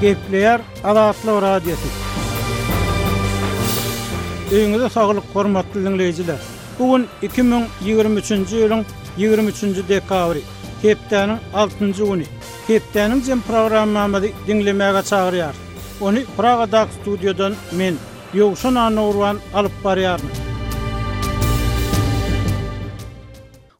Gepleýär Azatlyk Radiosy. Öýüňize saglyk, hormatly diňleýjiler! Bu gün 2023-nji ýylyň 23-nji dekabry, hepdäniň altynjy güni. Hepdäniň jem programmamyzy diňlemäge çagyrýarys. Ony Pragadaky studiýadan men, Ýowşan Annagurban alyp barýaryn.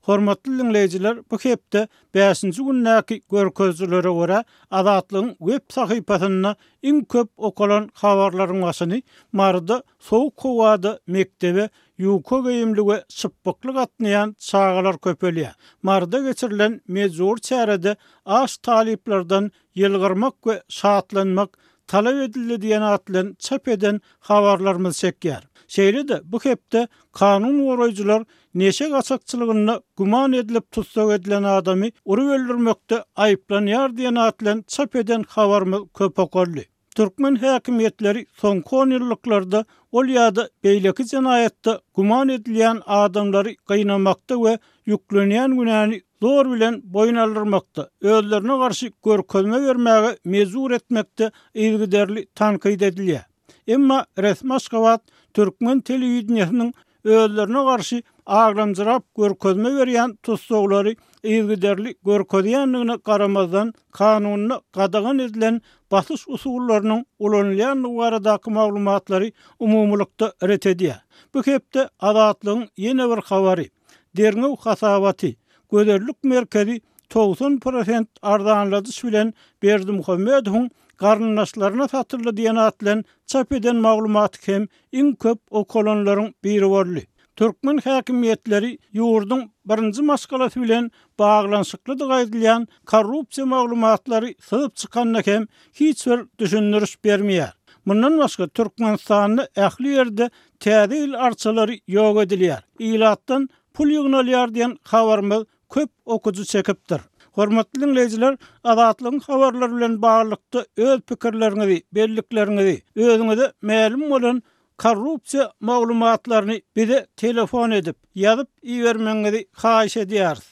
Hormatly diňleýjiler, bu hepde bäşinji gündäki görkezijilere görä, Azatlygyň web sahypasynda iň köp okalan habarlaryň başyny Maryda sowuk howada mekdebe ýuka geýimli we şypbykly gatnaýan çagalar köpelýär. Maryda geçirilen mejbury çärede aç talyplardan ýylgyrmak we şatlanmak talap edildi diýen at bilen çap eden habarlarymyz çekýär. Şeýle-de bu hepde kanun goraýjylar neşe gaçakçylygynda güman edilip tussag edilen adamy urup öldürmekde aýyplanýar diýen at bilen çap eden habarymyz köp okaldy. Türkmen häkimiýetleri soňky onýyllyklarda ol ýa-da beýleki jenaýatda güman edilýän adamlary gynamakda we ýüklenýän günäni zor bilen boýun aldyrmakda, özlerine garşy görkezme bermäge mejbur etmekde yzygiderli tankyt edilýär. Emma resmi Aşgabat türkmen telewideniýesiniň özlerine garşy aglamjyrap görkezme berýän tussaglary yzygiderli görkezýändigine garamazdan, kanunda gadagan edilen basyş usullarynyň ulanylýandygy baradaky maglumatlary umumylykda ret edýär. Bu hepde Azatlygyň ýene bir habary, derňew hasabaty, Gözellik merkezi 90 prosent arzanladyş bilen Berdimuhamedowyň garyndaşlaryna satyldy diýen at bilen çap eden maglumaty hem iň köp okalanlaryň biri boldy. Türkmen häkimiýetleri ýurduň birinji maşgalasy bilen baglanyşyklydygy aýdylýan korrupsiýa maglumatlary syzyp çykanda hem hiç bir düşündiriş bermeýär. Mundan başga, Türkmenistanda ähli ýerde Täze ýyl arçalary ýok edilýär, ilatdan pul ýygnalýar diýen habarymyz köp okyjy çekipdir. Hormatly diňleýjiler, Azatlygyň habarlary bilen baglylykda öz pikirleriňizi, bellikleriňizi, özüňize mälim bolan korrupsiýa maglumatlaryny bize telefon edip, ýazyp ibermegiňizi haýyş edýäris.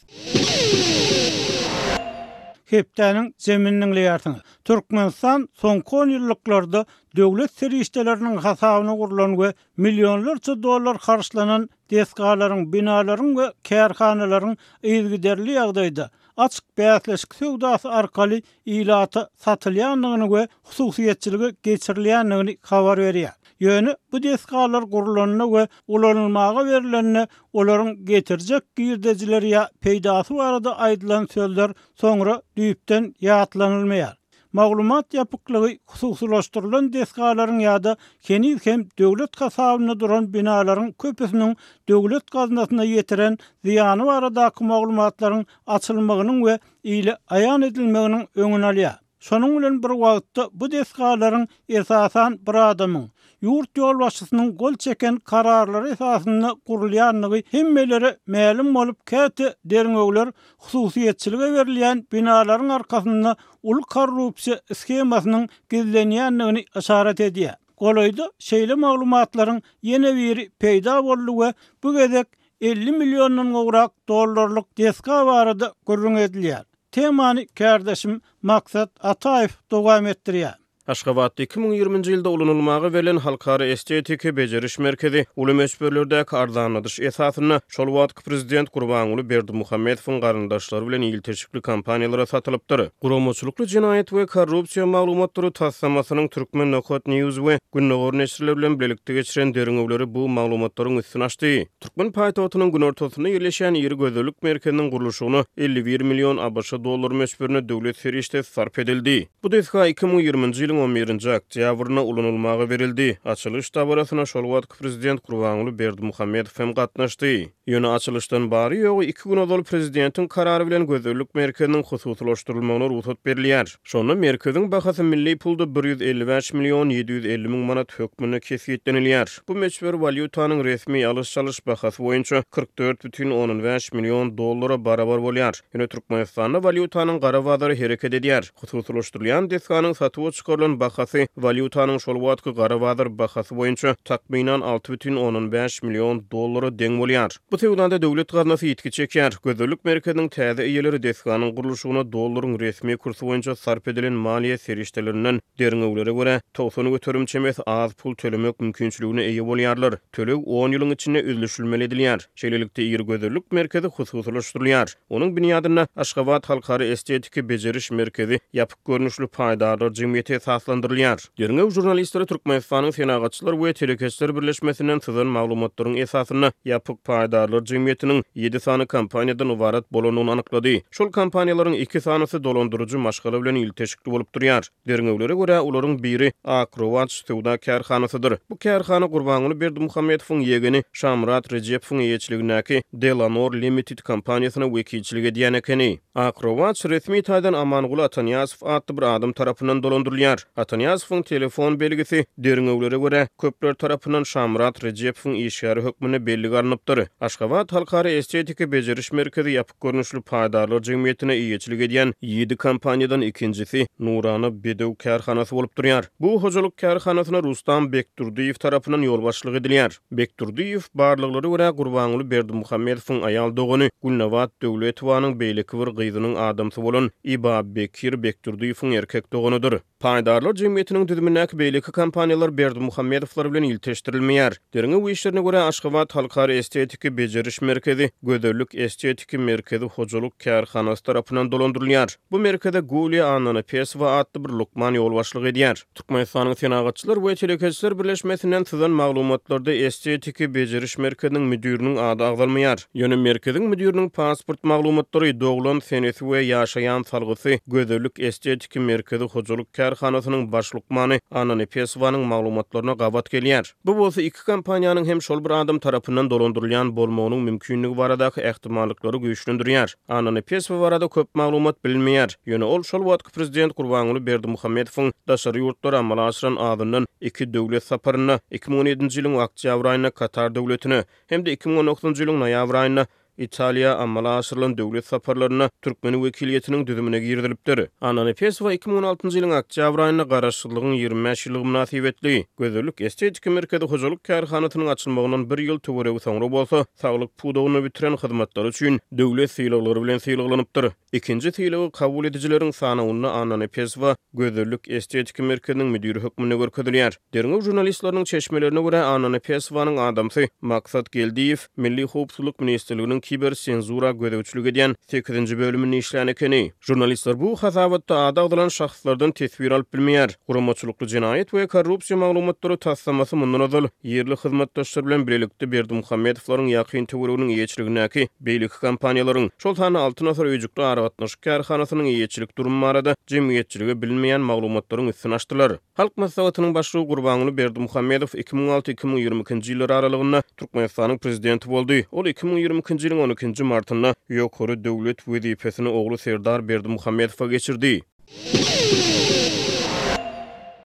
Hepdäniň jemini diňleýärsiňiz. Türkmenistan soňky onýyllyklarda döwlet serişdeleriniň hasabyna gurlan we millionlarça dollar harçlanan desgalaryň, binalaryň we kärhanalaryň yzygiderli ýagdaýda, açyk bäsleşik söwdasy arkaly ilata satylýandygyny we hususyýetçilige geçirilýändigini habar berýär. Ýöne bu desgalar gurlanda we ulanylmaga berlende olaryň getirjek girdejileri ýa peýdasy barada aýdylan sözler soňra düýpden ýatlanylmaýar. Maglumat ýapyklygy hususylaşdyrylan desgalaryň ýa-da heniz hem döwlet hasabynda duran binalaryň köpüsiniň döwlet gaznasyna ýetiren zyýany baradaky maglumatlaryň açylmagynyň we ile aýan edilmeginiň öňüni alýar. Şonuň bilen bir wagtda bu desgalaryň esasan bir adamyň, ýurt ýolbaşçysynyň gol çeken kararlary esasynda gurulýandygy hemmelere mälim bolup, käte derňewler hususyýetçilige berilýän binalaryň arkasynda uly korrupsiýa shemasynyň gizlenýändigini yşarat edýär. Golaýda şeýle maglumatlaryň ýene biri peýda boldy we bu gezek 50 milliondan gowrak dollarlyk desga barada gürrüň edilýär. Temany kärdeşim Maksat Ataýew dowam etdirýär. Aşgabatda 2020-nji ýylda ulanylmaga berlen Halkara estetiki bejeriş merkezi uly möçberlerdäki arzanladyş esasynda şol wagtky prezident Gurbanguly Berdimuhamedowyň garyndaşlary bilen ilteşikli kompaniýalara satylypdyr. Guramaçylykly jenaýat we korrupsiýa maglumatlary taslamasynyň Turkmen Nokat News we Gündogar neşirleri bilen bilelikde geçiren derňewleri bu maglumatlaryň üstüni açdy. Türkmen paýtagtynyň günortasynda ýerleşýän iri gözellik merkeziniň gurluşygyna 51 million ABŞ dollary möçberinde döwlet serişdesi sarp edildi. Bu desga 2020-nji ýylyň on birinji oktýabrynda ulanylmaga berildi. Açylyş dabarasyna şol wagtky prezident Gurbanguly Berdimuhamedow hem gatnaşdy. Ýöne açylyşdan bary-ýogy iki gün ozal prezidentiň karary bilen gözellik merkeziniň hususylaşdyrylmagyna rugsat berilýär. Şonda merkeziň bahasy milli pulda 155 million 750 müň manat hökmünde kesgitlenilýär. Bu möçber walýutanyň resmi alyş-çalyş bahasy boýunça 44 bütin ondan bäş million dollara barabar bolýar. Ýöne Türkmenistanda walýutanyň gara bazary hereket edýär. Hususylaşdyrylýan desganyň satuwa çykarylan. goýlan bahasy walýutanyň şol wagtky gara bazar bahasy boýunça takmynan 6,5 million dollara deň bolýar. Bu söwdada döwlet gaznasy ýitgi çekýär. Gözellik merkeziniň täze eýeleri desganyň gurluşygyna dollaryň resmi kursy boýunça sarp edilen maliýe serişdelerinden, derňewlere görä, 90% çemesi az pul tölemek mümkinçiligine eýe bolýarlar. Töleg on ýylyň içinde üzlüşilmeli edilýär. Şeýlelikde, iri gözellik merkezi hususylaşdyrylýar. Onuň binýadynda Aşgabat halkara estetiki bejeriş merkezi ýapyk görnüşli paýdarlar jemgyýeti esaslandyrylýar. Derňew žurnalistleri Türkmenistanyň Senagatçylar we telekeçiler birleşmesinden syzan maglumatlaryň esasynda ýapyk paýdarlar jemgyýetiniň ýedi sany kompaniýadan ybarat bolandygyny anyklady. Şol kompaniýalaryň iki sanysy dolandyryjy maşgala bilen ilteşikli bolup durýar. Derňewlere görä, olaryň biri Ak rowaç söwda kärhanasydyr. Bu kärhana Gurbanguly Berdimuhamedowyň ýegeni Şamyrat Rejepowyň eýeçiligindäki Delanor Limited kompaniýasyna wekilçilik edýän ekeni. Ak rowaç resmi taýdan Amanguly Atanyýazow atly bir adam tarapyndan dolandyrylýar. Atanyýazowyň telefon belgisi, derňewlere görä, köpler tarapyndan Şamyrat Rejepowyň işgäri hökmünde bellige alnypdyr. Aşgabat halkara estetiki bejeriş merkezi ýapyk görnüşli paýdarlar jemgyýetine eýeçilik edýän ýedi kompaniýadan ikinjisi Nurana Bedew kärhanasy bolup durýar. Bu hojalyk kärhanasyna Rustam Bekdurdyýew tarapyndan ýolbaşçylyk edilýär. Bekdurdyýew, barlaglara görä, Gurbanguly Berdimuhamedowyň aýal dogany Gülnabat Döwletowanyň beýleki bir gyzynyň adamsy bolan Ibabekir Bekdurdyýewiň erkek doganydyr. Paýdarlar jemgyýetiniň düzümindäki beýleki kompaniýalar Berdimuhamedowlar bilen ilteşdirilmeýär. Derňew işlerine görä, Aşgabat halkara estetiki bejeriş merkezi Gözellik estetiki merkezi hojalyk kärhanasy tarapyndan dolandyrylýar. Bu merkeze Gulýa Annanepesowa atly bir lukman ýolbaşçylyk edýär. Türkmenistanyň Senagatçylar we telekeçiler birleşmesinden syzan maglumatlarda estetiki bejeriş merkeziniň müdiriniň ady agzalmaýar. Ýöne merkeziň müdiriniň pasport maglumatlary, doglan senesi we ýaşaýan salgysy Gözellik estetiki merkezi hojalyk kärhanasynyň baş lukmany Anna Nepesowanyň maglumatlaryna gabat gelýär. Bu bolsa iki kompaniýanyň hem şol bir adam tarapyndan dolandyrylýan bolmagynyň mümkinligi baradaky ähtimallyklary güýçlendirýär. Anna Nepesowa barada köp maglumat bilinmeýär. Ýöne ol şol wagtky prezident Gurbanguly Berdimuhamedowyň daşary ýurtlara amala aşyran azyndan iki döwlet saparynda, 2017-nji ýylyň oktýabr aýynda Katar döwletine, hem-de 2019-njy ýylyň noýabr aýynda Italiýa amala aşyrylan döwlet saparlarynda türkmen wekiliýetiniň düzümine girizilipdir. Annanepesowa 2016-njy ýylyň oktýabr aýynda Garaşsyzlygyň 25 ýyllygy mynasybetli, Gözellik estetiki merkezi hojalyk kärhanasynyň açylmagyndan bir ýyl töweregi soňra bolsa, saglyk pudagynda bitiren hyzmatlary üçin döwlet sylaglary bilen sylaglanypdyr. Ikinji sylagy kabul edijileriň sanawynda Annanepesowa Gözellik estetiki merkeziniň müdiri hökmünde görkezilýär. Derňew žurnalistleriniň çeşmelerine görä, Annanepesowanyň adamsy Maksat Geldiýew Milli howpsuzlyk ministrliginiň kiber senzura gözegçilik edýän sekizinji bölüminde işlän ekeni. Žurnalistler bu hasabatda ady agzalan şahslardan teswir alyp bilmeýär. Guramaçylykly jenaýat we korrupsiýa maglumatlary taslamasy mundan ozal ýerli hyzmatdaşlar bilen bilelikde Berdimuhamedowlaryň ýakyn töwereginiň eýeçiligindäki beýleki kompaniýalaryň, şol sanda Altyn asyr öýjükli aragatnaşyk kärhanasynyň eýeçilik durumy barada jemgyýetçilige bilinmeýän maglumatlaryň üstüni açdylar. Halk Maslahatynyň Başlygy Gurbanguly Berdimuhamedow 2006, 2022-nji ýyllar aralygynda Türkmenistanyň Prezidenti boldy. Ol 2022-nji ýylyň on ikinji martynda ýokary döwlet wezipesini ogly Serdar Berdimuhamedowa geçirdi.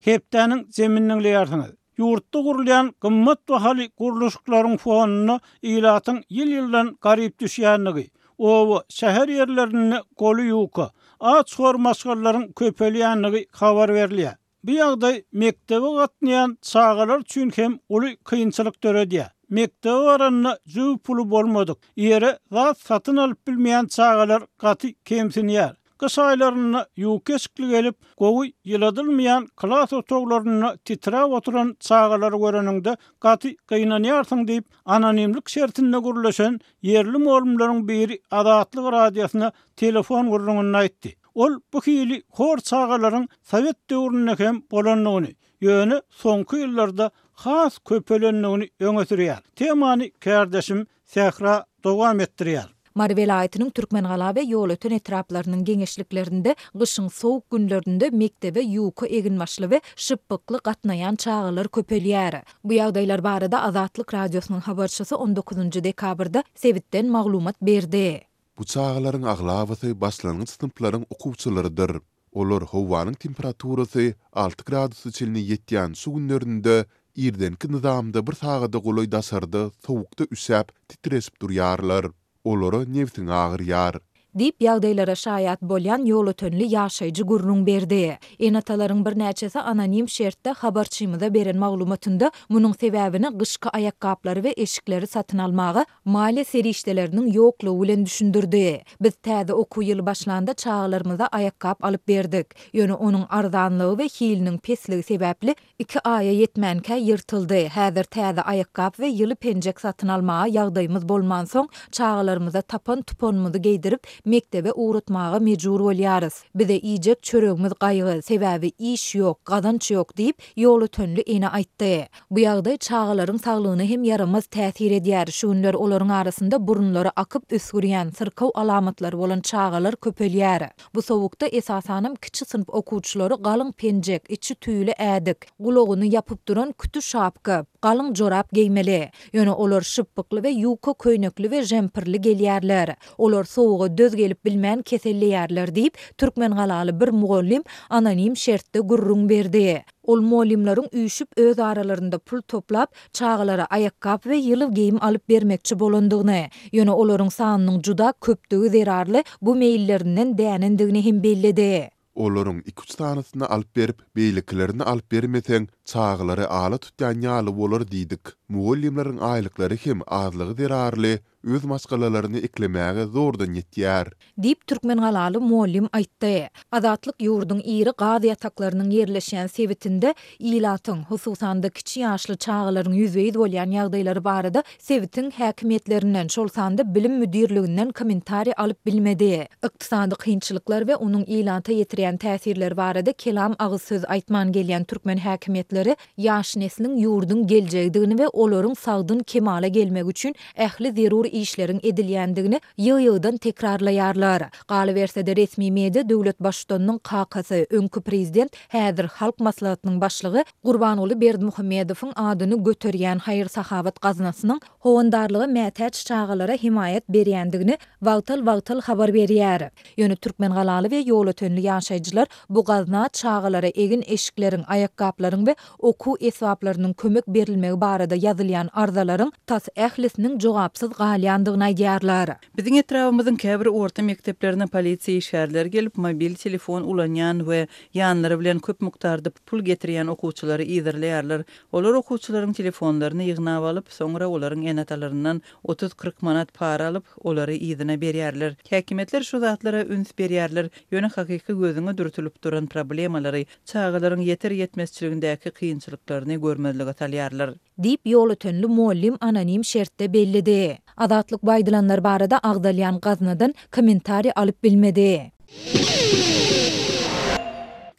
Hepdäniň jemini diňleýärsiňiz. Ýurtda gurulýan gymmat bahaly gurluşyklaryň fonunda ilatyň ýyl-ýyldan garyp düşýändigi, oba, şäher ýerlerinde goly ýuka, aç-hor maşgalalaryň köpelýändigi habar berilýär. Bu ýagdaý mekdebe gatnaýan çagalar üçin hem uly kynçylyk döredýär. Mekdebe baranda jübi puly bolmadyk, ýere zat satyn alyp bilmeýän çagalar gaty kemsinýär. Gyş aýlarynda ýuka eşikli gelip, gowy ýyladylmaýan klas otaglarynda titräp oturan çagalary göreniňde gaty gynanýarsyň diýip, anonimlik şertinde gürleşen ýerli mugallymlaryň biri Azatlyk Radiosyna telefon gürrüňinde aýtdy. Ol bu hili hor çagalaryň sowet döwründe hem bolandygyny, ýöne soňky ýyllarda has köpelendigini öňe sürýär. Temany kärdeşim Sähra dowam etdirýär. Mary welaýatynyň Türkmengala we Ýolöten etraplarynyň geňeşliklerinde gyşyň sowuk günlerinde mekdebe ýuka eginbaşly we şypbykly gatnaýan çagalar köpelýär. Bu ýagdaýlar barada Azatlyk Radiosynyň habarçysy on dokuzynjy dekabrda sebitden maglumat berdi. Bu çagalaryň aglabasy başlangyç synplaryň okuwçylarydyr. Olar howanyň temperaturasy alty gradusa çenli ýetýän şu günlerinde irdenki nyzamda bir sagada golaý daşarda sowukda üşäp, titreşip durýarlar. Olara nebsiň agyrýar. Diýip, ýagdaýlara şaýat bolýan ýolötenli ýaşaýjy gürrüň berdi. Ene-atalaryň birnäçesi anonim şertde habarçymyza beren maglumatynda munuň sebäbini gyşky aýakgaplary we eşikleri satyn almaga maliýe serişdeleriniň ýoklugy bilen düşündirdi. Biz täze okuw ýyly başlanda çagalarymyza aýakgap alyp berdik. Ýöne onuň arzanlygy we hiliniň pesligi sebäpli Iki aýa ýetmänkä ýyrtyldy. Häzir täze aýakgap we ýyly penjek satyn almaga ýagdaýymyz bolmansoň, çagalarymyza tapan-tupanymyzy geýdirip, mekdebe ugratmaga mejbur bolýarys. Bize iýjek çöregimiz gaýgy, sebäbi iş ýok, gazanç ýok diýip, ýolötenli ene aýtdy. Bu ýagdaý çagalaryň saglygyna hem ýaramaz täsir edýär. Şu günler olaryň arasynda burunlary akyp üsgürýän, syrkaw alamatlary bolan çagalar köpelýär. Bu sowukda esasanam kiçi synp okuwçylary galyň penjek, içi tüýli ädik, gulagyny ýapyp duran küti şapka, galyň jorap geýmeli. Ýöne olar şypbykly we ýuka köýnekli we žempirli gelýärler. Olar sowuga döz gelip bilmän keselleýärler diýip, türkmengalaly bir mugallym anonim şertde gürrüň berdi. Ol mugallymlaryň üýşüp öz aralarynda pul toplap, çagalara aýakgap we ýyly geýim alyp bermekçi bolandygyny, ýöne olaryň sanynyň juda köpdügi zerarly bu meýillerinden dänendigini hem belledi. Olaryň iki-üç sanysyny alyp berip, beýlekilerini alyp bermeseň, çagalary ala tutýan ýaly bolar diýdik. Mugallymlaryň aýlyklary hem azlygy zerarly öz maşgalalaryny eklemäge zordan ýetýär. Diýip, türkmengalaly mugallym aýtdy. Azatlyk ýurduň iri gaz ýataklarynyň ýerleşýän sebitinde ilatyň, hususan-da, kiçi ýaşly çagalaryň ýüzbe-ýüz bolýan ýagdaýlary barada sebitiň häkimiýetlerinden, şol sanda bilim müdirliginden kommentariý alyp bilmedi. Ykdysady kynçylyklar we onuň ilata ýetirýän täsirleri barada kelam agyz söz aýtman gelýän türkmen häkimiýetleri ýaş nesliň ýurduň geljegidigini we olaryň sagdyn kemala gelmegi üçin ähli zerur işleriň edilýändigini ýygy-ýygydan tekrarlaýarlar. Galyberse-de, resmi media döwlet Baştutanynyň kakasy, öňki prezident, häzir Halk Maslahatynyň başlygy Gurbanguly Berdimuhamedowyň adyny göterýän haýyr-sahawat gaznasynyň howandarlyga mätäç çagalara hemaýat berýändigini wagtal-wagtal habar berýär. Ýöne türkmengalaly we ýolötenli ýaşaýjylar bu gazna çagalara egin-eşikleriň, aýakgaplaryň we okuw esbaplarynyň kömek berilmegi barada ýazylýan arzalaryň tas ählisiniň jogapsyz galýandygyny aýdýarlar. Biziň etrabymyzyň käbir orta mekdeplerine polisiýa işgärleri gelip, mobil telefon ulanýan we ýanlary bilen köp mukdarda pul getirýän okuwçylary yzarlaýarlar. Olar okuwçylaryň telefonlaryny ýygnap alyp, soňra olaryň ene-atalaryndan otuz-kyrk manat para alyp, olary yzyna berýärler. Häkimiýetler şu zatlara üns berýärler, ýöne hakyky gözüňe dürtülip duran problemalary, çagalaryň ýeter-ýetmezçiligindäki kynçylyklaryny görmezlige salýarlar. Diýip, ýolötenli mugallym anonim şertde belledi. Azatlyk bu aýdylanlar barada agzalýan gaznadan kommentariý alyp bilmedi.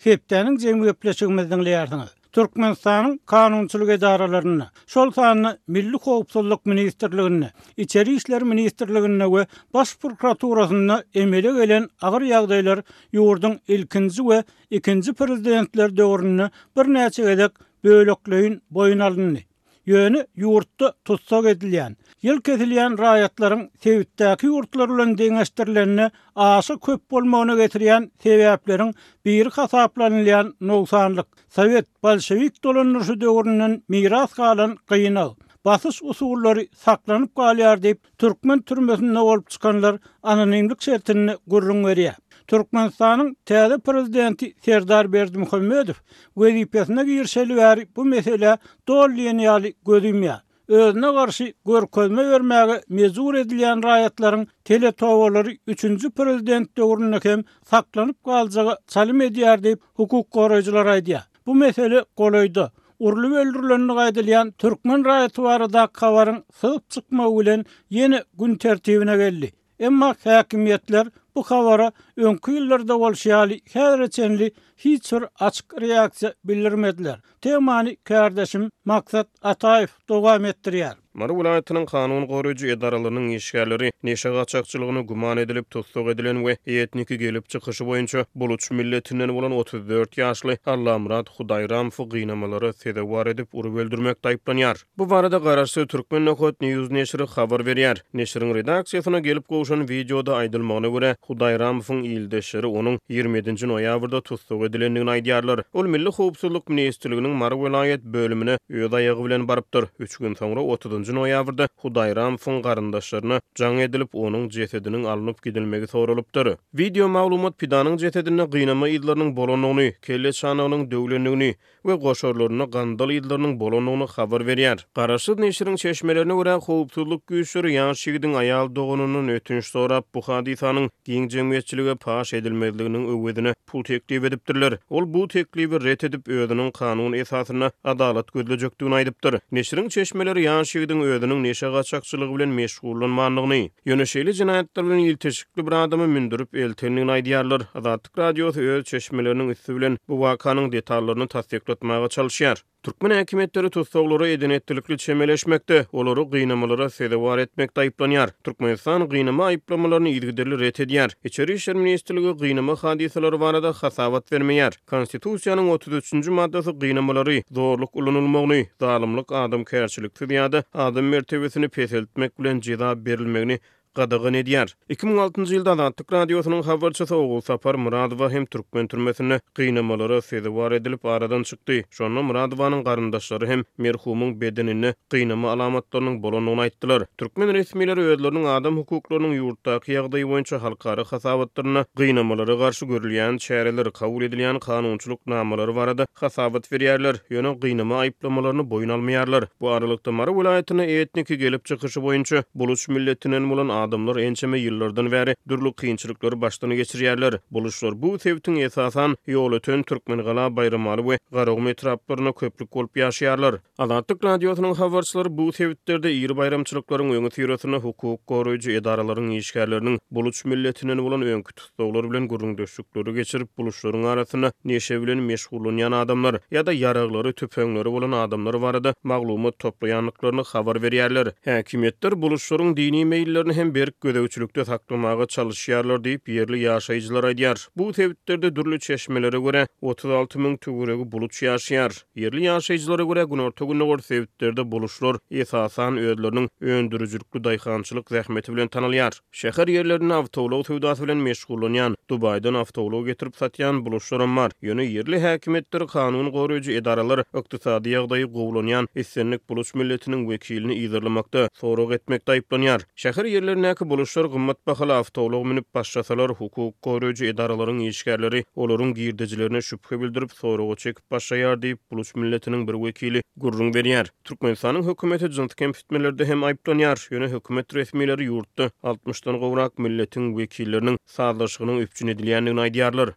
Hepdäniň jemi gepleşigimizi diňleýärsiňiz. Türkmenistanyň kanunçylyk edaralarynda, şol sanda Milli howpsuzlyk ministrliginde, Içeri işler ministrliginde we Baş prokuraturasynda emele gelen agyr ýagdaýlar ýurduň ilkinji we ikinji prezidentleri döwründe birnäçe gezek bölekleýin boýun alyndy. Ýöne ýurtda tussag edilýän, ýyl kesilýän raýatlaryň sebitdäki ýurtlar bilen deňeşdirilende aşa köp bolmagyna getirýän sebäpleriň biri hasaplanylýan nogsanlyk, sowet, bolşewik dolandyryşy döwründen miras galan gynag, basyş usullary saklanyp galýar diýip, türkmen türmesinde bolup çykanlar anonimlik şertinde gürrüň berýär. Türkmenistanyň täze prezidenti Serdar Berdimuhamedow wezipesine girişeli bäri bu meselä doly diýen ýaly göz ýumýar. Özüne garşy görkezme bermäge mejbur edilýän raýatlaryň teletobalary üçünji prezident döwründe hem saklanyp galjaga çalym edýär diýip, hukuk goraýjylar aýdýar. Bu mesele golaýda, urlup öldürilendigi aýdylýan türkmen raýaty baradaky habaryň syzyp çykmagy bilen ýene gün tertibine geldi. Emma häkimiýetler bu habara öňki ýyllarda bolşy ýaly häzire çenli hiç bir açyk reaksiýa bildirmediler. Temany kärdeşim Maksat Ataýew dowam etdirýär. Mary welaýatynyň kanun goraýjy edaralarynyň işgärleri neşe gaçakçylygyna güman edilip tussag edilen we etniki gelip çykyşy boýunça buluç milletinden bolan 34 ýaşly Allamyrat Hudaýramowy gynamalara sezewar edip urup öldürmekde aýyplanýar. Bu barada garaşsyz Turkmen Nokat News neşiri habar berýär. Neşiriň redaksiýasyna gelip gowşan wideoda aýdylmagyna görä, Hudaýramowyň ildeşleri onuň 27 nji noýabrda tussag edilendigini aýdýarlar. Ol Milli howpsuzlyk ministrliginiň Mary welaýat bölümine öz aýagy bilen barypdyr. Üç gün soňra, 30. 29-njy noýabrda Hudaýramowyň garyndaşlaryna jaň edilip, onuň jesediniň alnyp gidilmegi soralypdyr. Wideo maglumat pidanyň jesedinde gynama yzlarynyň bolandygyny, kelle çanagynyň döwlendigini we goşarlarynda gandal yzlarynyň bolandygyny habar berýär. Garaşsyz neşiriň çeşmelerine görä, howpsuzlyk güýçleri ýaş ýigidiň aýal doganyndan ötünç sorap, bu hadysanyň giň jemgyýetçilige paş edilmezliginiň öwezine pul teklip edipdirler. Ol bu teklibi ret edip, özüniň kanun esasynda adalat gözlejekdigini aýdypdyr. Neşiriň çeşmeleri ýaş ýigidiň özüniň neşe gaçakçylygy bilen meşgullanmandygyny, ýöne şeýle jenaýatlar bilen ilteşikli bir adamy mündürip eltendigini aýdýarlar. Azatlyk Radiosy öz çeşmeleriniň üsti bilen bu wakanyň detallaryny tassyklatmaga çalyşýar. Türkmen häkimiýetleri tussaglara eden-etdilikli çemeleşmekde, olary gynamalara sezewar etmekde aýyplanýar. Türkmenistan gynama aýyplamalaryny yzygiderli ret edýär. Içeri işler ministrligi gynama hadysalary barada hasabat bermeýär. Konstitusiýanyň 33-nji maddasy gynamalary, zorluk ulanylmagyny, zalymlyk, adamkärçiliksiz ýa-da adam mertebesini peseltmek bilen jeza berilmegini gadagan edýär. 2006-njy ýylda Azatlyk Radiosynyň habarçysy Ogulsapar Myradowa hem türkmen türmesinde gynamalara sezewar edilip aradan çykdy. Şonda Myradowanyň garyndaşlary hem merhumyň bedeninde gynama alamatlarynyň bolandygyny aýtdylar. Türkmen resmileri özleriniň adam hukuklarynyň ýurtdaky ýagdaýy boýunça halkara hasabatlarynda gynamalara garşy görülýän çäreler, kabul edilýän kanunçylyk namalary barada hasabat berýärler, ýöne gynama aýyplamalaryny boýun almaýarlar. Bu aralykda, Mary welaýatynda etniki gelip çykyşy boýunça buluç milletinden bolan adamlar ençeme ýyllardan bäri dürli kynçylyklary başdan geçirýärler. Buluçlar bu sebitiň esasan Ýolöten, Türkmengala, Baýramaly we Garagum etraplarynda köplük bolup ýaşaýarlar. Azatlyk Radiosynyň habarçylary bu sebitlerde iri baýramçylyklaryň öňüsyrasynda hukuk goraýjy edaralaryň işgärleriniň buluç milletinden bolan öňki tussaglar bilen gürrüňdeşlikleri geçirip, buluçlaryň arasynda neşe bilen meşgullanýan adamlar ýa-da ýaraglary, tüpeňleri bolan adamlar barada maglumat toplaýandyklaryny habar berýärler. Häkimiýetler buluçlaryň dini meýillerini hem berk gözegçilikde saklamaga çalyşýarlar diýip, ýerli ýaşaýjylar aýdýar. Bu sebitlerde dürli çeşmelere görä, 36 müň töweregi buluç ýaşaýar. Ýerli ýaşaýjylara görä, günorta-gündogar sebitlerde buluçlar, esasan, özleriniň öndürijilikli daýhançylyk zähmeti bilen tanalýar. Şäher ýerlerinde awtoulag söwdasy bilen meşgullanýan, Dubaýdan awtoulag getirip satýan buluçlaram bar. Ýöne ýerli häkimiýetler, kanun goraýjy edaralar ykdysady ýagdaýy gowulanýan islendik buluç milletiniň wekilini yzarlamakda, sorag etmekde aýyplanýar. Şäher ýerlerindäki buluçlar gymmat bahaly awtoulag münüp başlasalar, hukuk goraýjy edaralaryň işgärleri olaryň girdejilerine şübhe bildirip, soraga çekip başlaýar diýip, buluç milletiniň bir wekili gürrüň berýär. Türkmenistanyň hökümeti jynsy kemsitmelerde hem aýyplanýar, ýöne hökümet resmileri ýurtda altmyşdan gowrak milletiň wekilleriniň sazlaşygynyň üpjün edilýändigini aýdýarlar.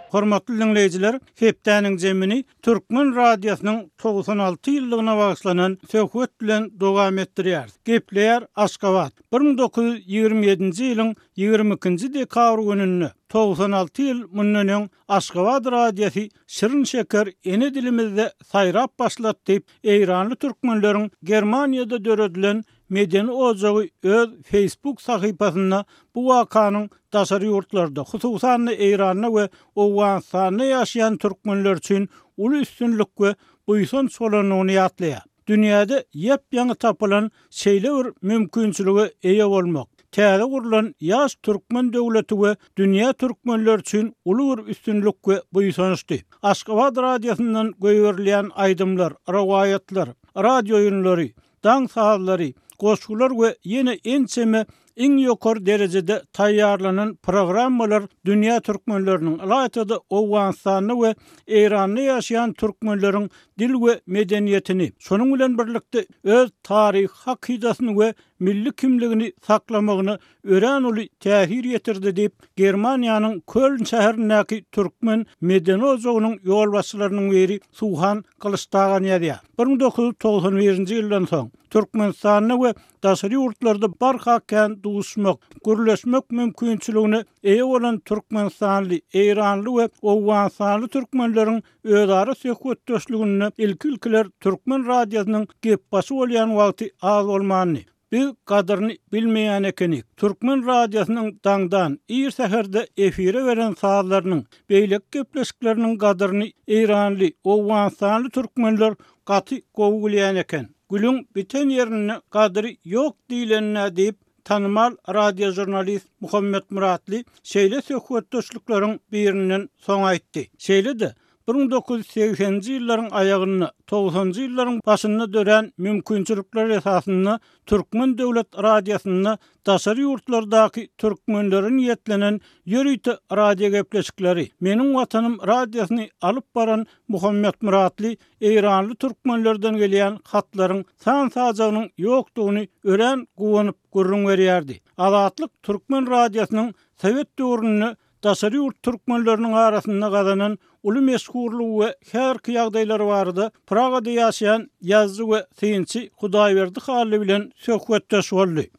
Hormatly diňleýjiler, hepdäniň jemini Türkmen radiosynyň 96 ýyllygyna bagyşlanan söhbet bilen dowam etdirýäris. Gepleýär Aşgabat. 1927-nji ýylyň 22-nji dekabr gününde, 96 ýyl mundan öň Aşgabat radiosy şirin-şeker ene dilimizde saýrap başlady diýip, eýranly türkmenleriň Germaniýada döredilen medeni ojagy öz Facebook sahypasynda bu wakanyň daşary ýurtlarda, hususan-da Eýranda we Owganystanda ýaşaýan türkmenler üçin uly üstünlik we buýsanç bolandygyny ýatlaýar. Dünýäde ýap-ýaňy tapylan şeýle bir mümkinçilige eýe bolmak, täze gurlan ýaş türkmen döwleti we dünýä türkmenleri üçin uly bir üstünlik we buýsançdy. Aşgabat radiosyndan goýberilýän aýdymlar, rowaýatlar, radiooýunlary, daň sazlary, goşgular we ýene ençeme Iň ýokary derejede taýýarlanan programmalar dünýä türkmenleriniň, ylaýta-da Owganystanda we Eýranda ýaşaýan türkmenleriň dil we medeniýetini, şonuň bilen birlikde öz taryhy hakydasyny we milli kimligini saklamagyna örän uly täsir ýetirdi diýip, Germaniýanyň Köln şäherindäki türkmen medeni ojagynyň ýolbaşçylarynyň biri Suhan Gylyçtagan ýazýar. 1991-nji ýyldan soň, Türkmenistanda we daşary ýurtlarda barha kän duşmak, gürleşmek mümkinçiligine eýe bolan türkmenistanly, eýranly we owganystanly türkmenleriň özara söhbetdeşliginde ilki-ilkiler türkmen radiosynyň gepbaşy bolýan wagty az bolmandy. Biz gadyryny bilmeýän ekenik. Türkmen radiosynyň daňdan, ir säherde efire beren sazlarynyň, beýleki gepleşikleriniň gadyryny eýranly, owganystanly türkmenler gaty gowy bilýän eken. Gülüň biten ýerinde gadyry ýok diýlenine diýip, tanymal radiožurnalist Muhammet Myratly şeýle söhbetdeşlikleriň birinden soň aýtdy. Şeýle-de, 1980-nji ýyllaryň aýagynda, togsanjy ýyllaryň başynda dörän mümkinçilikler esasynda Türkmen döwlet radiosynda daşary ýurtlardaky türkmenlere niýetlenen ýörite radiogepleşikleri, Meniň Watanym radiosyny alyp baran Muhammet Myratly eýranly türkmenlerden gelýän hatlaryň san-sajagynyň ýokdugyny örän guwanyp gürrüň berýärdi. Azatlyk türkmen radiosynyň sowet döwründe daşary ýurt türkmenleriniň arasynda gazanan uly meşhurlygy we häzirki ýagdaýlary barada Pragada ýaşaýan ýazyjy we synçy Hudaýberdi Hally bilen söhbetdeş boldy.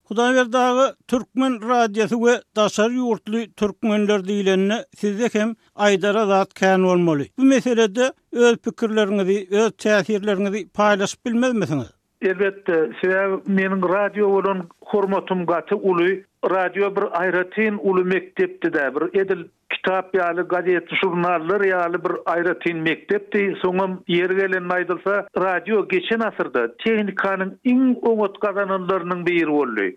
Hudaýberdi aga, türkmen radiosy we daşary ýurtly türkmenler diýlende sizde hem aýdara zat kän bolmaly. Bu meselede öz pikirleriňizi, öz täsirleriňizi paýlaşyp bilmezmisiňiz? Elbetde, sebäbi meniň radio bolan hormatym gaty uly. Radio bir aýratyn uly mekdepdi-dä, bir edil kitap ýaly, gazet-žurnallar ýaly bir aýratyn mekdepdi. Soňam ýeri gelende aýdylsa, radio geçen asyrda tehnikanyň iň oňat gazananlarynyň biri boldy.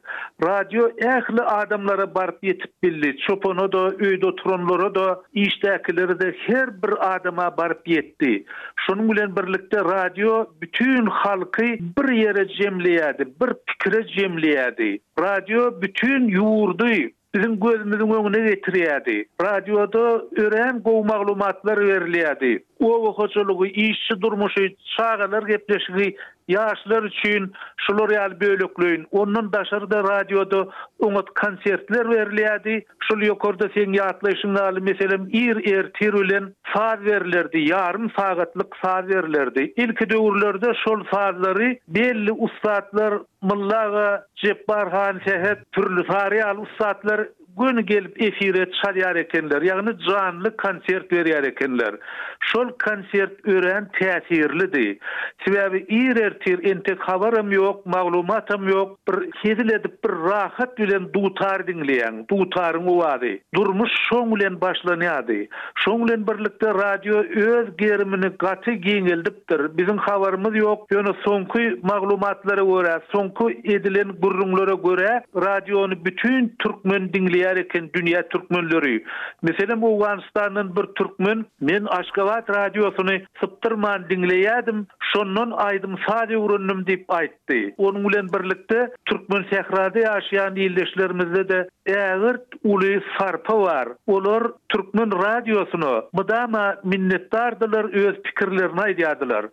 Radio ähli adamlara baryp ýetip bildi, çopana-da, öýde oturanlara-da, işdäkilere-de her bir adama baryp ýetdi. Şonuň bilen birlikde radio bütin halky bir ýere jemleýärdi, bir pikire jemleýärdi. Radio bütin ýurdy biziň gözümiziň öňüne getirýärdi. Radioda örän gowy maglumatlar berilýärdi. Oba hojalygy, işçi durmuşy, çagalar gepleşigi Ýaşlar üçin şular ýaly bölekleýin, ondan daşary-da radioda oňat konsertler berilýärdi. Şol ýokarda seň ýatlaýşyň ýaly, meselem, ir ertir bilen saz berilerdi, ýarym sagatlyk saz berilerdi. Ilki döwürlerde şol sazlary belli ussatlar Mylly aga, Jepbar han Sähet, Pürli Sary ýaly ussatlar Göni gelip efire çalýar ekenler, ýagny janly konsert berýär ekenler. Şol konsert örän täsirlidi. Sebäbi ir ertir entek habaram ýok, maglumatam ýok, bir hezil edip bir rahat bilen dutar diňleýäň, dutaryň owazy. Durmuş şoň bilen başlanýardy. Şoň bilen birlikde radio öz gerimini gaty giňeldipdir. Biziň habarymyz ýok, ýöne soňky maglumatlara görä, soňky edilen gürrüňlere görä, radiony bütin türkmen diňleýär eken, dünýä türkmenleri. Meselem, Owganystandan bir türkmen, Men Aşgabat radiosyny sypdyrman diňleýärdim, şondan aýdym-saz öwrendim diýip aýtdy. Aýtdy. Onuň bilen birlikde, Türkmensährada ýaşaýan ildeşlerimizde-de ägirt uly sarpa bar. Olar türkmen radiosyna mydama minnetdardylar, öz pikirlerini aýdýardylar.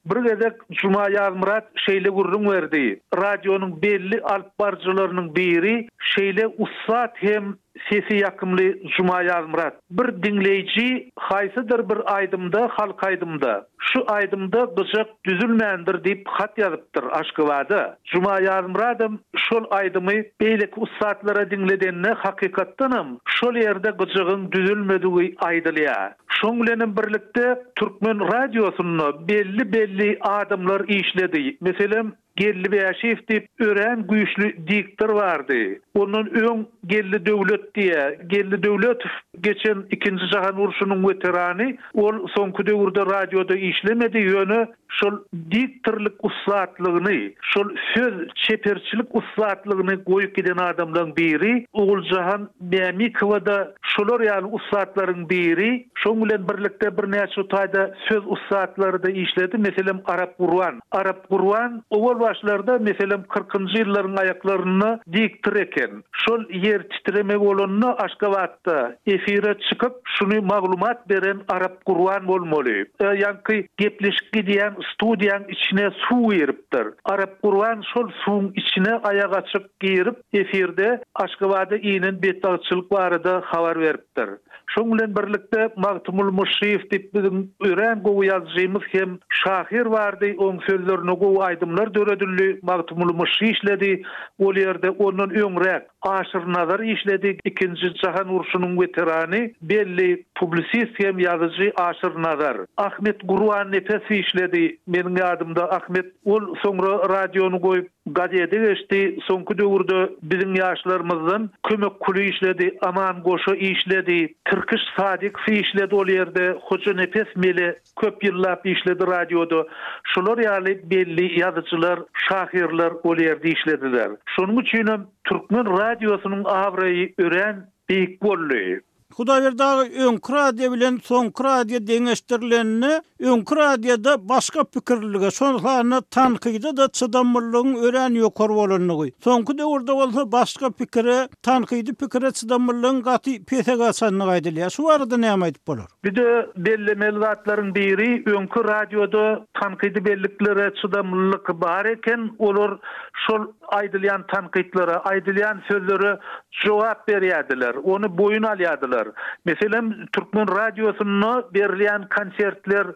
Bir gezek Juma Ýazmyrat şeýle gürrüň berdi, Radionyň belli alypbaryjylarynyň biri şeýle ussat hem Sesi ýakymly Juma Ýazmyrat. Bir diňleýji haýsydyr bir aýdymda halk aýdymda şu aýdymda gyjak düzülmändir diýip hat ýazypdyr Aşgabada. Juma Ýazmyradam şol aýdymy beýleki ussatlara diňledende hakykatdanam şol ýerde gyjagyň düzülmedigi aýdylýar. Şoň bilenem birlikde türkmen radiosynda belli belli adamlar işledi. Meselem Geldi Bäşiýew diýip örän güýçli diktor bardy. Ondan öň Geldi Döwlet diýýär. Geldi Döwletow geçen ikinji jahan urşunyň weterany. Ol soňky döwürde radioda işlemedi, ýöne şol diktorlyk ussatlygyny, şol söz çeperçilik ussatlygyny goýup giden adamlaň biri. Oguljahan Mämikowa-da şolar ýaly ussatlaryň biri. Şoň bilen birlikde birnäçe taýda söz ussatlary-da işledi. Meselem, Arap Gurban. Arap Gurban owal başlarda, meselem, kyrkynjy ýyllaryň aýaklarynda diktor eken. Şol ýer titreme bolanda Aşgabatda efire çykyp, şuny maglumat beren Arap Gurban bolmaly. Ýaňky gepleşik gidýän studiýaň içine suw giripdir. Arap Gurban şol suwuň içine aýak açyk girip, efirde Aşgabada inen betbagtçylyk barada habar beripdir. Şoň bilen birlikde Magtymguly Myşşyýew diýip biziň örän gowy ýazyjymyz hem şahyr bardy, oň sözlerine gowy aýdymlar döredildi, Magtymguly Myşşy işledi ol ýerde, ondan öňräk Aşyr Nazar işledi, ikinji jahan urşunyň weterany, belli publisist hem ýazyjy Aşyr Nazar. Ahmet Gurbannepesow işledi, meniň ýadymda Ahmet ol soňra radiony goýup, Gazete geçdi. Soňky döwürde biziň ýaşlarymyzdan Kömek Kuly işledi, Aman Goşa işledi, Tirkiş Sadykow işledi ol ýerde, Hojanepes Mele köp ýyllap işledi radioda. Şular ýaly belli ýazyjylar, şahyrlar ol ýerde işlediler. Şonuň üçinem türkmen radiosynyň abraýy örän beýik boldy. Hudaýberdi aga öňki radio bilen soňky radio deňeşdirilende öňki radioda başga pikirlilige, şol sanda tankyda-da çydamlylygyň örän ýokary bolandygy, soňky döwürde bolsa başga pikire, tankydy pikire çydamlylygyň gaty pese gaçandygy aýdylýar. Şu barada näme aýdyp bolar? Bir-de bellemeli zatlaryň biri, öňki radioda tankydy belliklere çydamlylyk bar eken, olar şol aýdylýan tankytlara, aýdylýan sözlere jogap berýärdiler, ony boýun alýardylar. Meselem, türkmen radiosynda berilýän konsertler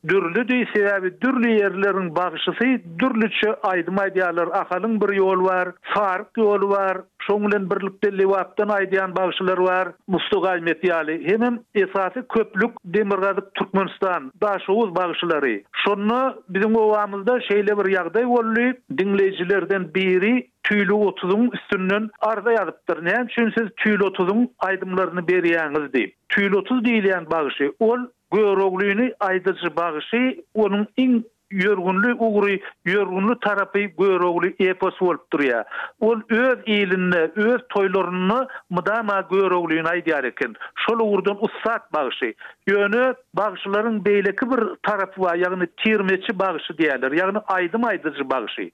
dürlüdi, sebäbi dürli ýerleriň bagşysy dürlüçe aýdym aýdýarlar, Ahalyň bir ýoly bar, Saryk ýoly bar, şoň bilen birlikde Lebapdan aýdýan bagşylar bar, Musta Gaýmet ýaly. Hemem esasy köplük Demirgazyk Türkmenistan, Daşoguz bagşylary. Şonda biziň obamyzda şeýle bir ýagdaý boldy, diňleýjilerden biri Tüýli otuzyň üstünden arza ýazypdyr, näme üçin siz Tüýli otuzyň aýdymlaryny berýäňiz diýip. Tüýli otuz diýilýän bagşy, ol Göroglyny aýdyjy bagşy, onuň iň ýörgünli ugry, ýörgünli tarapy Görogly eposy bolup durýar. Ol öz ilinde, öz toýlarynda mydama Göroglyny aýdýar eken. Şol ugurdan ussat bagşy. Ýöne bagşylaryň beýleki bir tarapy bar, ýagny tirmeçi bagşy diýýärler, ýagny aýdym aýdyjy bagşy.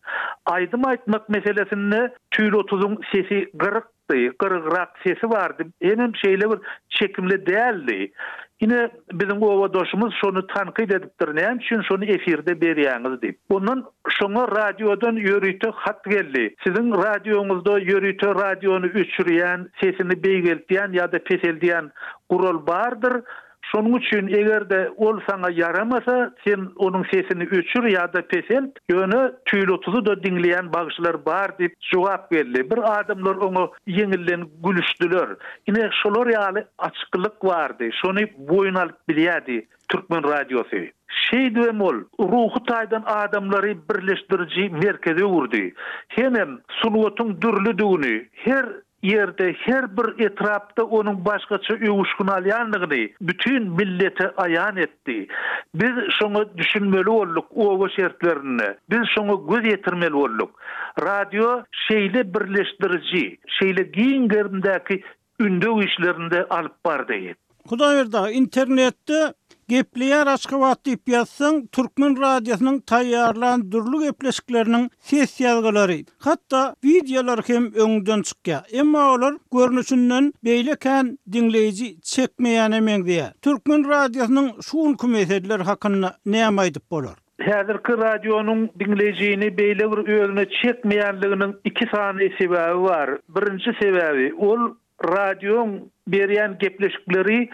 Aýdym aýtmak meselesinde Tüýli otuzyň sesi gyrykdy, gyrygrak sesi bardy, hemem şeýle bir çekimli däldi. Ine, biziň obadaşymyz şony tankyt edipdir, näme üçin şony efirde berýäňiz diýip. Ondan şoňa radiodan ýörite hat geldi. Siziň radioňyzda ýörite radiony öçürýän, sesini beýgeltýän ýa-da peseldýän gural bardyr. Şonuň üçin eger-de ol saňa ýaramasa, sen onuň sesini öçür ýa-da peselt, ýöne tüýli otuzy-da diňleýän bagşylar bar diýip jogap geldi. Bir adamlar oňa ýeňilden gülüşdiler. Ine, şolar ýaly açyklyk bardy. Şony boýun alyp bilýärdi türkmen radiosy. Şeýdibem ol ruhy taýdan adamlary birleşdiriji merkeze öwürdi. Hemem sungatyň dürlüdigini, her ýerde, her bir etrapda onuň başgaça öwüşgin alýandygyny bütin millete aýan etdi. Biz şoňa düşünmeli bolduk oba şertlerinde. Biz şoňa göz ýetirmeli bolduk. Radio şeýle birleşdiriji, şeýle giň gerimdäki ündew işlerini-de alyp bardy. Hudaýberdi aga, internetde Gepleýär Aşgabat diýip ýazsaň, türkmen radiosynyň taýýarlan dürli gepleşikleriniň ses ýazgylary, hatda wideolary hem öňüňden çykýar. Emma olar görnüşinden beýle kän diňleýji çekmeýäne meňzeýär. Türkmen radiosynyň şu günki meseleleri hakynda näme aýdyp bolar? Häzirki radionyň diňleýjini beýle bir özüne çekmeýänliginiň iki sany sebäbi bar. Birinji sebäbi, ol Radioň berýän gepleşikleri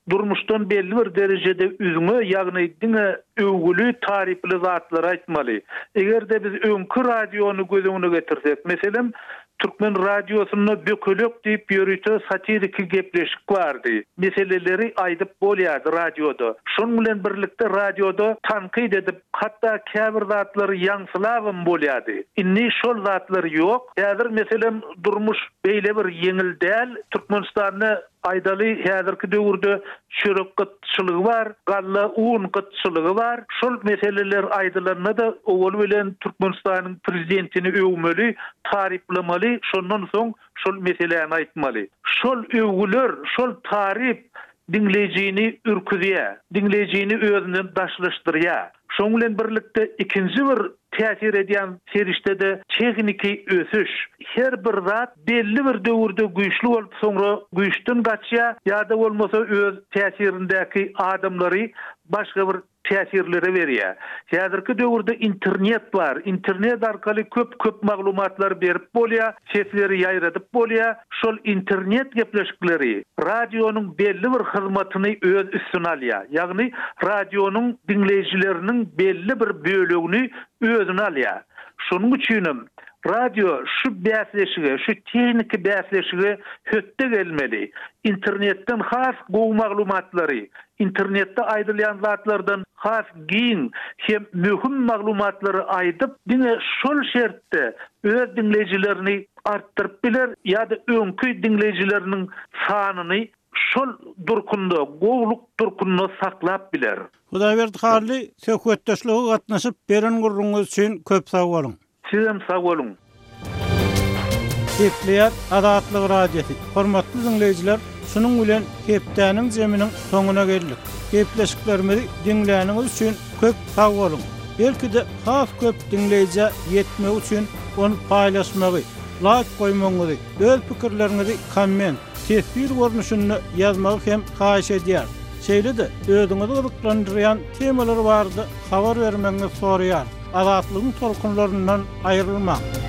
durmuşdan belli bir derejede üzňe, ýagny diňe öwgüli, taryply zatlary aýtmaly. Eger-de biz öňki radiony göz öňüne getirsek, meselem, Türkmen radiosynda Bökelek diýip ýörite satiriki gepleşik bardy. Meseleleri aýdyp bolýardy radioda. Şonuň bilen birlikde radioda tankyt edip, hatda käbir zatlary ýaňsylabam bolýardy. Indi şol zatlar ýok. Häzir, meselem, durmuş beýle bir ýeňil däl. Türkmenistanda, aýdaly, häzirki döwürde çörek gytçylygy bar, galla, un gytçylygy bar. Şol meseleler aýdylanda-da, owal bilen Türkmenistanyň prezidentini öwmeli, taryplamaly, şondan soň şol meseläni aýtmaly. Şol öwgüler, şol taryp diňleýjini ürküzýär, diňleýjini özünden daşlaşdyrýar. Şonuň bilen birlikde ikinji bir täsir edýän serişde-de tehniki ösüş. Her bir zat belli bir döwürde güýçli bolup soňra güýçden gaçýar ýa-da bolmasa öz täsirindäki adamlary başga bir täsirlere berýär. Häzirki döwürde internet bar. Internet arkaly köp-köp maglumatlary berip bolýar, sesleri ýaýradyp bolýar. Şol internet gepleşikleri radionyň belli bir hyzmatyny öz üstüne alýar. Ýagny radionyň diňleýjileriniň belli bir bölegini özüne alýar. Şonuň üçinem radio şu bäsleşige, şu tehniki bäsleşige hötde gelmeli. Internetden has gowy maglumatlary, Internetde aýdylýan zatlardan has giň hem möhüm maglumatlary aýdyp, diňe şol şertde öz diňleýjilerini artdyryp biler ýa-da öňki diňleýjileriniň sanyny şol durkunda, gowulyk durkunda saklap biler. Hudaýberdi Hally, söhbetdeşlige gatnaşyp, beren gürrüňiňiz üçin köp sag boluň! Sizem sag boluň. Gepleýär Azatlyk Radiosy. Hormatly diňleýjiler, Şunuň bilen hepdäniň jeminiň soňuna geldik. Gepleşiklerimizi diňläniňiz üçin köp sag boluň! Belki-de has köp diňleýjä ýetmegi üçin ony paýlaşmagy, laýk goýmagyňyzy, öz pikirleriňizi komment, teswir görnüşinde ýazmagy hem haýyş edýäris. Şeýle-de özüňizi gyzyklandyrýan temalar barada habar bermegiňizi soraýarys. Azatlygyň tolkunlaryndan aýrylmaň!